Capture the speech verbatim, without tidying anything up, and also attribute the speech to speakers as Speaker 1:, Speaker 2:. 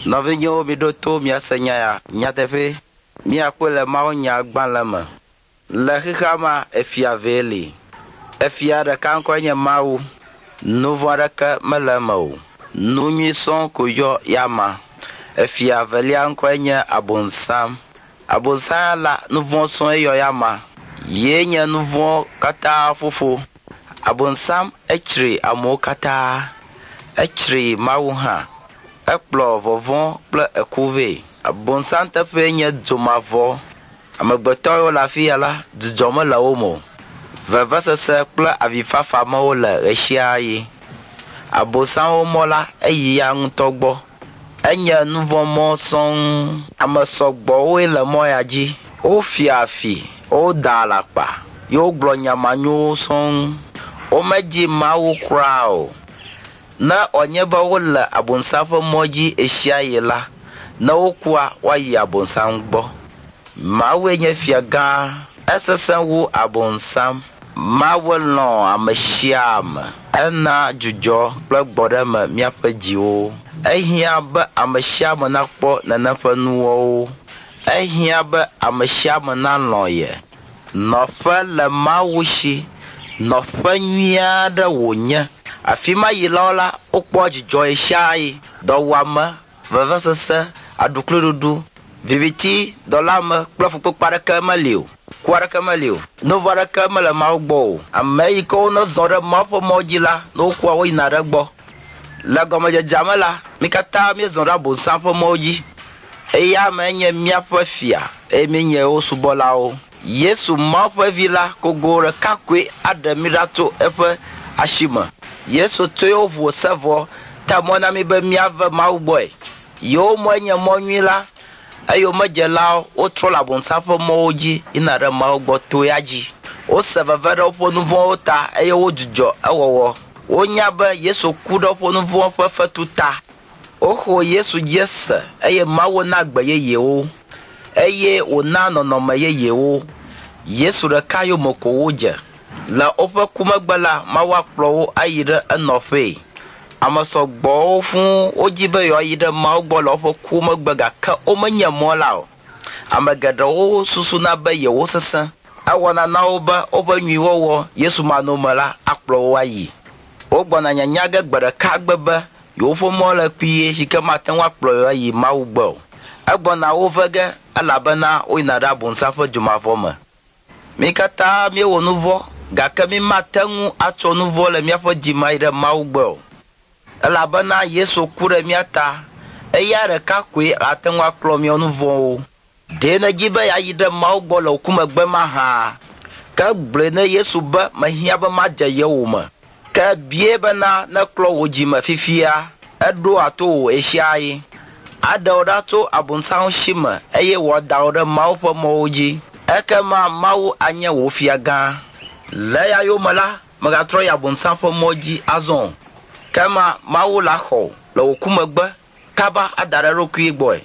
Speaker 1: Nɔvinyewo miɖo to miase nya ya nyateƒe. Míakpɔe le mawunyagbalẽ me. Le xexea mea, efia vee li. Efia ɖeka ŋkɔe nye Mawu. Nu vɔ̃ aɖeke mele eme o. Nu nyui sɔŋ ko yɔ ya ma. Efia velia ŋkɔe nye Abosam. Abosam la, nu vɔ̃ sɔŋ yɔ ya ma. Yee nye nu vɔ̃ katã fofo. Abosam etsri amewo katã. Etsri Mawu hã. Ekplɔ vɔvɔ̃ kple eku vɛ. Abosam teƒee nye dzomavɔ. Amegbetɔ yiwo le afi ya la, dzidzɔ mele wo me o. Vevesese kple avifafa me wole ɣe sia ɣi. Abosamwo mɔ la, eyi ya ŋutɔ gbɔ. Enye nuvɔ̃mɔ sɔŋ. Ame sɔgbɔwoe le mɔ ya dzi. Wofia fi, woda alakpa ye wogblɔ nya manyowo sɔŋ. Womedzi Mawu kura o. Ne wòanye be wole Abosam ƒe mɔ dzi ɣe sia ɣi la, ne wokua, woayi Abosam gbɔ. Mawue nye fia gã. Esesẽ wu Abosam. Mawu lɔ̃ ame sia ame. Ena dzudzɔ kple gbɔɖeme míaƒe dziwo. Ehiã be ame sia ame nakpɔ nenem ƒe nuwɔwo. Ehiã be ame sia ame nalɔ̃ ye. Nɔƒe le Mawu si. Nɔƒe nyui aɖe wònye. Afi ma yilawo la, wokpɔa dzidzɔ ɣe sia ɣi. Dɔwuame, vevesese, aɖukliɖuɖu, viviti, dɔléame kple fukpekpe aɖeke meli o. Ku aɖeke meli o. Nu vɔ̃ aɖeke mele Mawu gbɔ o. Ame yi ke wonezɔ ɖe Mawu ƒe mɔ dzi la, ne wokua, woyina ɖe egbɔ. Le gɔmedzedzea me la, mí katã míezɔ ɖe Abosam ƒe mɔwo dzi. Eya ame nye míaƒe fia eye míenye wo subɔlawo. Yesu Mawu ƒe vi la kogo ɖeka koe aɖe mí ɖa tso eƒe asi me. Yesu tso yewo ʋu se vɔ ta mɔ na mí be míave Mawu gbɔe. Yewo mɔe nye mɔ nyui la. Eyomedzelawo wotrɔ le Abosam ƒe mɔwo dzi yina ɖe Mawu gbɔ to ya dzi. Wose veve ɖe woƒe nu vɔ̃wo ta eye wodzudzɔ ewɔwɔ. Wonya be Yesu ku ɖe woƒe nu vɔ̃ ƒe fetu ta. Woxɔ Yesu dzi se eye Mawu na agbe yeyewo eye wòna nɔnɔme yeyewo. Yesu ɖeka yome ko wodze. Le woƒe ku megbe la, Mawu akplɔ wo ayi ɖe enɔƒee. Ame sɔgbɔwo fũu wodzi be yewoayi ɖe Mawu gbɔ le woƒe ku megbe gake womenye mɔ la o. Ame geɖewo susuna be yewo sesẽ. Ewɔna na wo be woƒe nyuiwɔwɔ Yesu manɔme la akplɔ wo ayi. Wogbɔna nyanya ge gbe ɖeka gbe be yewoƒe mɔ le kpuie si ke mate ŋu akplɔ yewo ayi Mawu gbɔ o. Egbɔna wo ve ge elabena woyina ɖe Abosam ƒe dzomavɔ me. Mí katã míewɔ nu vɔ̃ gake mí mate ŋu atsɔ nu vɔ̃ le míaƒe dzi me ayi ɖe Mawu gbɔ o. Elabena Yesu ku ɖe mía ta. Eya ɖeka koe ate ŋu aklɔ míawo nu vɔ̃wo. Ɖe nèdzi be yeayi ɖe Mawu gbɔ le wò ku megbe mahã? Ke gblɔe ne Yesu be mehiã be madze yewò me. Ke bia bena neklɔ wò dzime fifia. Eɖoa to wò ɣe sia ɣi. Aɖe wò ɖa tso Abosam si me eye wòada wò ɖe Mawu ƒe mɔwo dzi. Ekema Mawu anye wò fia gã. Le eya yome la, mègatrɔ yi Abosam ƒe mɔ dzi azɔ o. Kema Mawu la xɔ wò le wò ku megbe kaba ada ɖe eɖokui gbɔe.